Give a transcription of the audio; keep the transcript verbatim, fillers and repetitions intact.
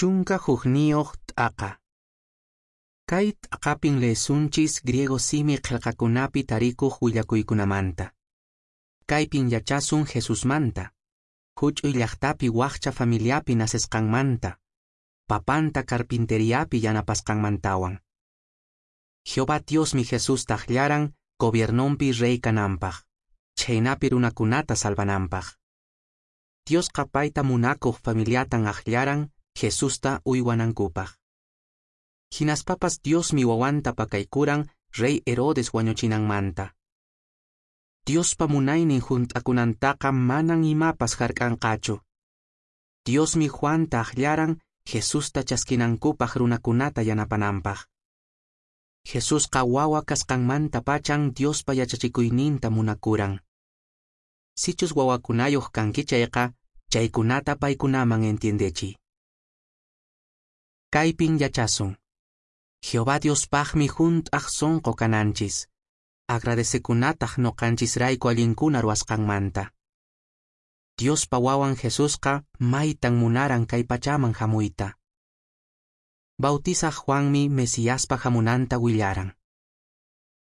Chunka hukniyuq t'aqa. Kay t'aqapin leesunchis griego simi qillqakunapi tarikuq willakuykunamanta. Kaypin yachasun Jesusmanta, huch'uy llaqtapi wakcha familiapi nacesqanmanta, papanta carpinteriapi yanapasqanmantawan. Jehová Diosmi Jesusta akllaran gobiernonpi rey kananpaq, chhaynapi runakunata salvananpaq. Diosqa payta munakuq familiatan akllaran Jesusta uywanankupaq. Hinaspapas Diosmi wawanta pakaykuran rey Herodes wañuchinanmanta. Diospa munaynin hunt'akunantaqa manan imapas hark'anqachu. Diosmi Juanta akllaran Jesusta chaskinankupaq runakunata yanapananpaq. Jesusqa wawa kasqanmanta pachan Diospa yachachikuyninta munakuran. Sichus wawakunayuq kanki chayqa, chaykunata paykunaman entiendechiy. Kaypin yachasun. Jehová Diospaqmi hunt'aq sunqu kananchis. Agradecekunataq ñuqanchisrayku allinkuna ruwasqanmanta. Diospa wawan Jesusqa maytan munaran kay pachaman hamuyta. Bautizaq Juanmi Mesiaspa hamunanta willaran.